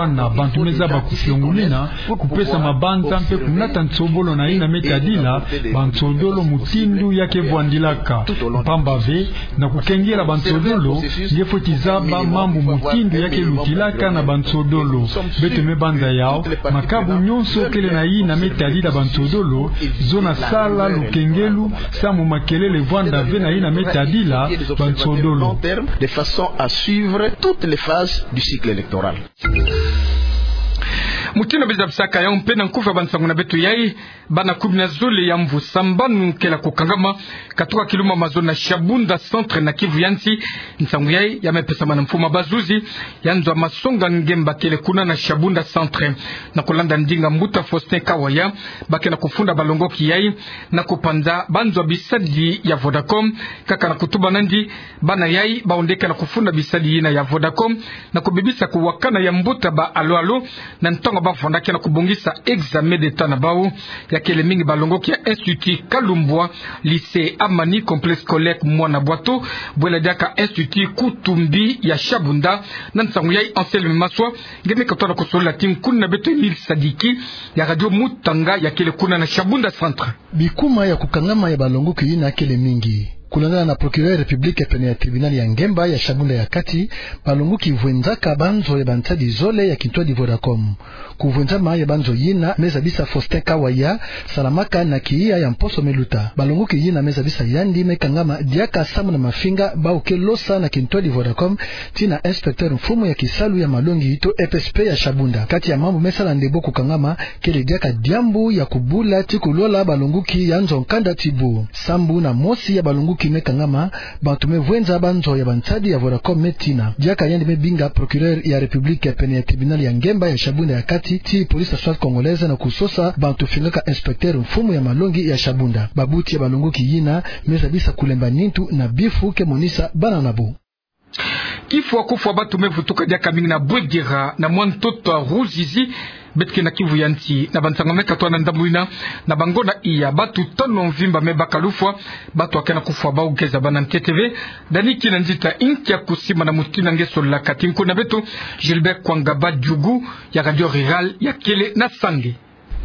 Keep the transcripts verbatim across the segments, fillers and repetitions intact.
kufwana, bantu me zaba kufiongolina, kupesa mabanza mpe kunata nsobolo na yina me tadila bansodolo mutindu ya ke vwandilaka. Mpamba ve, na kukengela bansodolo, nge fweti zaba mambu mutindu ya ke lutilaka na bansodolo. Beto me banza yau, makabu nyonso kele na yina me tadila bansodolo, zona sala lukengelu, samu makelele vwanda ve na yina me tadila bansodolo. De façon à suivre toutes les phases du cycle électoral. Mutindu bizabisaka yau mpe na nkufi ya bansangu na beto yai, bana kumi na zole ya mvu sambanu kele kukangama, katuka kiluma mazono na Shabunda Centre na Kivu ya nsi. Nsangu yai ya me pesama na mfumu bazuzi ya nzo masonga ngemba kele kuna na Shabunda Centre. Na kulanda ndinga mbuta Faustin Kawaya, ba ke na kufunda balongoki yai na kupanza banzo bisadi ya Vodacom, kaka na kutuba nandi, bana yai bawu nde ke na kufunda bisadi yina ya Vodacom, na kubebisa kuwakana ya mbuta ba alo-alo, na ntangu Bafwana ke na kubongisa examen d'Etat na bau, ya kele mingi balongoki ya Institut Kalumbwa, Lycée Amani, Complexe Scolaire Mwana Bwato, bwela diaka Institut Kutumbi ya Shabunda. Na nsangu yayi Anselme Maswa, nge me katola kusolola ti nkuna na beto Emile Sadiki, ya Radio Mutanga, ya kele kuna na Shabunda Centre. Bikuma ya kukangama ya balongoki yina kele mingi. Kulandana na procureur ya République pene ya tribunal ya ngemba ya Shabunda ya kati, balongoki vwenzaka banzo ya bansadi zole ya kintwadi Vodacom. Kuvwenzama ya banzo yina me zabisa Faustin Kawaya, salamaka na kiya ya mposo me luta. Balongoki yina me zabisa yandi me kangama diaka samu na mafinga bau ke losa na kintwadi Vodacom, tii na inspecteur mfumu ya kisalu ya malongi to E P S P ya Shabunda. Kati ya mambu me sala ndebo kukangama, kele diaka diambu ya kubula ti kulola balongoki ya nzo nkanda ti bu. Sambu na mosi ya balongoki me kangama, bantu me vwenza banzo ya bansadi ya Vodacom me tina. Diaka yandi me binga procureur ya République pene ya tribunal ya ngemba ya Shabunda ya kati, tii police nationale congolaise na kusosa bantu fingaka inspecteur mfumu ya malongi ya Shabunda. Babuti ya balongoki yina me zabisa kulemba nintu na bifu ke monisa bana na bu. Kifwa kufwa bantu me vutuka diaka mingi na Bwegera na mwa ntoto ya Ruzizi, beto ke na Kivu ya nsi. Na bansangu me katola na ndambu yina, na bangonda iya, bantu tanu mvimba me baka lufwa, bantu ya ke na kufwa bau ke zabana na ntete ve. Dani Kinanzita inkia kusimbana mutindu nge sololaka ti nkuna na beto Gilbert Kwangaba Djugu ya Radio Rurale ya kele na Sange.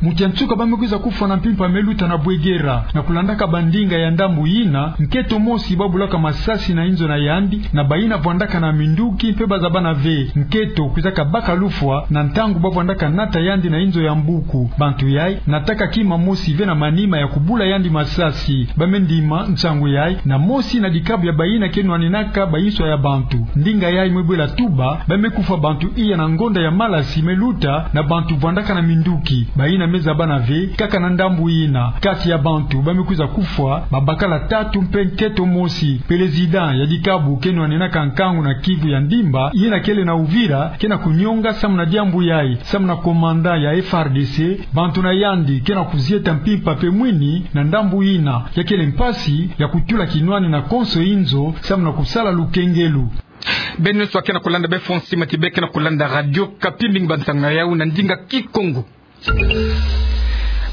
Mukia nsuka ba me kwiza kufwa na mpimpa me luta na Bwegera. Na kulandaka bandinga ya ndambu yina, nkento mosi ba bulaka masasi na inzo na yandi, na bayina vwandaka na minduki mpe ba zabana ve. Nkento kwizaka baka lufwa na ntangu ba vwandaka nata yandi na inzo ya mbuku. Bantu yayi nataka kima mosi ve na manima ya kubula yandi masasi. Ba me ndima nsangu yayi na mosi na dikabu ya bayina ke nwaninaka bayinswa ya bantu. Ndinga yayi me bwela tuba, ba me kufwa bantu iya na ngonda ya malasi me luta na bantu vwandaka na minduki. Bayina me zabana ve, kaka na ndambu yina, kati ya bantu ba me kwiza kufwa, babakala tatu mpe nkento mosi. Président ya dikabu ke nwaninaka nkangu na Kivu ya ndimba, yina kele na Uvira, ke na kunyonga samu na diambu yayi, samu na commandant ya F A R D C, bantu na yandi ke na kuzieta mpimpa mpe mwini na ndambu yina, ya kele mpasi ya kutula kinwani na konso inzo, samu na kusala lukengelu. Beno nyonso ba ke na kulanda befo nsima ti be ke na kulanda Radio Okapi, mingi bansangu na yau na ndinga Kikongo.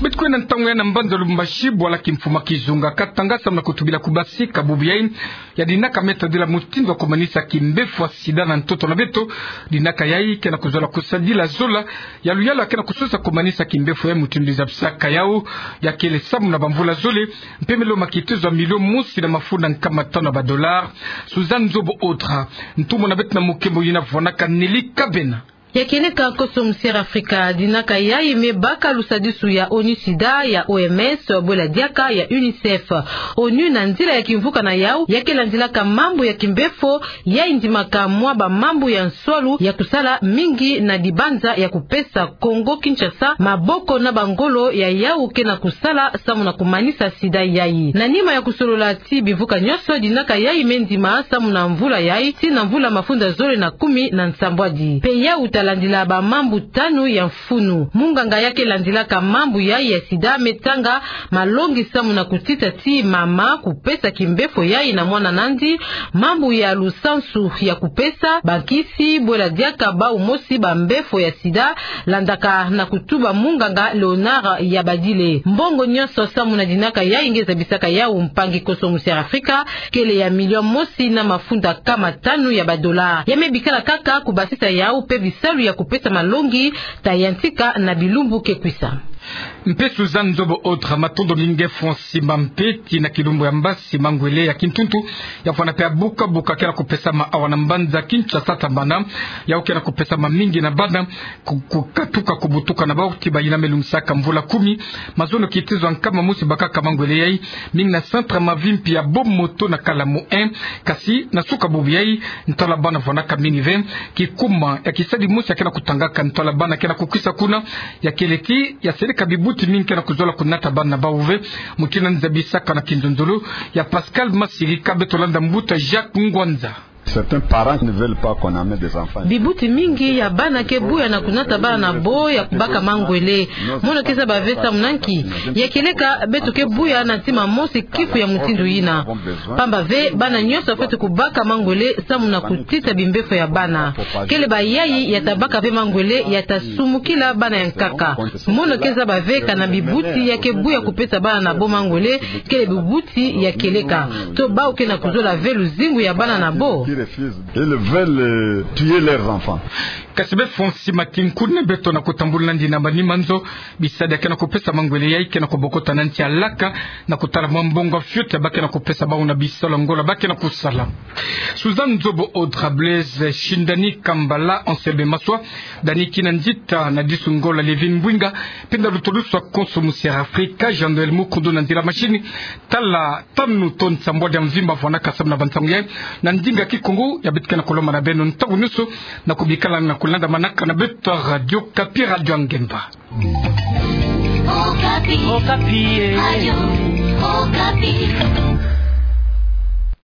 Beto kwenda ntangu yayi na mbanza Lubumbashi, bwala kimfuma kizunga Katanga samu na kutubila kubasika bubu yayi ya dinaka me tadila mutindu ya kumanisa kimbefo ya sida na ntoto na beto. Dinaka yayi ke na kuzola kusadila zola ya luyalu ya ke na kusosa kumanisa kimbefo yayi mutindu zabisaka yau, ya kele samu na bamvula zole, mpe me lomba kitezo ya milio mosi na mafunda nkama tanu ya ba dollars. Suzanne Nzobo Autre, ntumwa na beto na mukembo yina vwanaka Nelly Kabena. Ya kieleka nkoso musiere Afrika, dinaka yayi me baka lusadisu ya ONU SIDA, ya O M S, bwela diaka ya UNICEF. ONU na nzila ya kimvuka na yau, ya ke landilaka mambu ya kimbefo yayi ndimaka mwa bamambu ya nswalu ya kusala mingi na dibanza ya kupesa Kongo Kinshasa maboko na bangolo ya yau ke na kusala samu na kumanisa sida yayi. Na nima ya kusolola ti bivuka nyonso, dinaka yayi me ndima samu na mvula yayi tii na mvula mafunda zole na kumi na nsambwadi. Mpe yau ta landila bamambu tanu ya mfunu. Munganga ya ke landilaka mambu yayi ya sida me tanga malongi samu na kutita ti mama kupesa kimbefo yayi na mwana nandi, mambu ya lusansu ya kupesa, bankisi, bwela diaka bau mosi bambefo ya sida, landaka na kutuba munganga Léonard Yabadile. Mbongo nyonso samu na dinaka yayi nge zabisaka yau mpangi nkoso musiere Afrika, kele ya milio mosi na mafunda nkama tanu ya ba dollars. Ya me bikala kaka kubasisa yau mpe bisalu ya kupesa malongi ta yantika na bilumbu ke kwisa. Mpe Suzanne Nzobo Autre, matondo mingi. Fo nsima mpe tii na kilumbu ya mbasi mangwele ya kintuntu ya fwana mpe ya buka buka ke na kupesama awa na mbanza Kinshasa, tambana yau ke na kupesama mingi na bana ku-, kukatuka kubutuka na bau ti bayina me lungisaka mvula kumi. Mazono kitezo ya nkama mosi bakaka mangwele yayi, mingi na centre Mavimpi ya Bomoto na Kalamu un. Kasi na suka bubu yayi, ntwala bana vwanaka mingi ve. Kikuma ya kisadi mosi ya ke na kutangaka ntwala bana ke na kukwisa kuna, ya kele ti ya seleka bibuti mingi ke na kuzola kunata bana na bau ve. Mutindu nzabisaka na kinzonzolo ya Pascal Masirika, beto landa mbuta Jacques Ngwanza. Certains parents ne veulent pas qu'on amène des enfants. Bibuti mingi ya bana ke buya na kunata bana na bo ya kubaka mangwele. Mono ke zaba ve samu na nki? Ya kieleka beto ke buya na ntima mosi kifu ya mutindu yina. Pamba ve bana nyonso bafweti kubaka mangwele samu na kutita bimbefo ya bana. Kele bayayi ya tabaka ve mangwele ya tasumukila bana ya nkaka. Mono ke zaba ve kana bibuti ya ke buya kupesa bana na bo mangwele kele bibuti ya kieleka, to bawu ke na kuzola ve luzingu ya bana na bo. Ils veulent, euh, tuer leurs enfants. Kasi befo nsima kinkuni beto na kutambula nandi na manima nzo, bisadi ya ke na kupesa mangwele yayi ke na kubokota na nsi ya laka, na kutala mwa mbongo fioti ya ba ke na kupesa bawu na bisalu ya ngola ba ke na kusala. Suzanne Nzobo Audra Blaise, Shindani Kambala, Anselme Maswa, Dani Kinanzita, Nadisu Ngola, Levin Mbwinga, mpe na lutulusu akonso mu Sierra Africa, Jean-Noël Mukundu na nzila machine. Tala tanu to nsambwadi ya mvimba vwanaka samu na bansangu yayi na ndinga Kikongo. Ya beto ke na kulomba na beno ntangu nyonso na kubikala na kulandamanaka na beto Radio Okapi, Radio ya Ngemba. Okapi. Okapi, eh. Radio Okapi.